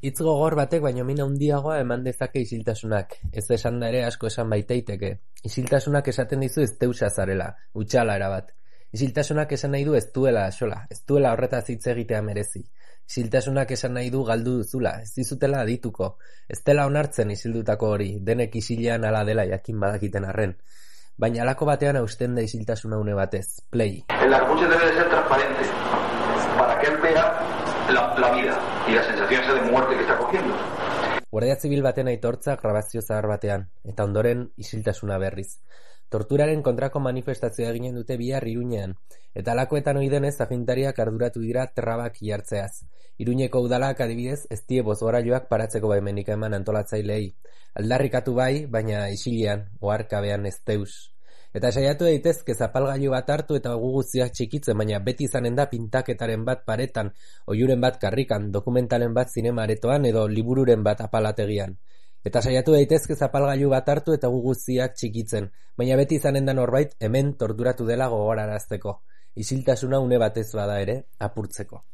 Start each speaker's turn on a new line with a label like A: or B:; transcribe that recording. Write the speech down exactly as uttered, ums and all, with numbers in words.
A: Hitz gogor batek baino min handiagoa eman dezake isiltasunak, ez esan da ere asko esan baitaiteke. Isiltasunak esaten dizu ez deusa zarela, utxala erabat. Isiltasunak esan nahi du ez duela asola, ez duela horretaz hitz egitea merezi. Isiltasunak esan nahi du galdu duzula, ez dizutela adituko, ez dela onartzen isildutako hori, denek isilean ala dela jakin badakiten arren. Baina halako batean hausten da isiltasuna une batez, play.
B: El escucha debe de ser transparente, para que él vea la, la vida y la sensación esa de muerte que está cogiendo.
A: Guardia Zibil baten aitortza grabazio zahar batean, eta ondoren isiltasuna berriz. Torturaren kontrako manifestazioa eginen dute bihar Iruñean, eta halakoetan ohi denez agintariak arduratu dira trabak jartzeaz. Iruñeko udalak adibidez ez die bozgorailuak paratzeko baimenik eman antolatzaileei. Aldarrikatu bai, baina isilean, oharkabean ez deus. Eta saiatu daitezke zapalgailu bat hartu eta gu guztiak txikitzen, baina beti izanen da pintaketaren bat paretan, oihuren bat karrikan, dokumentalen bat zinemaretoan edo libururen bat apalategian. Eta saiatu daitezke zapalgailu bat hartu eta gu guztiak txikitzen, baina beti izanen da norbait hemen torturatu dela gogorarazteko. Isiltasuna une batez bada ere, apurtzeko.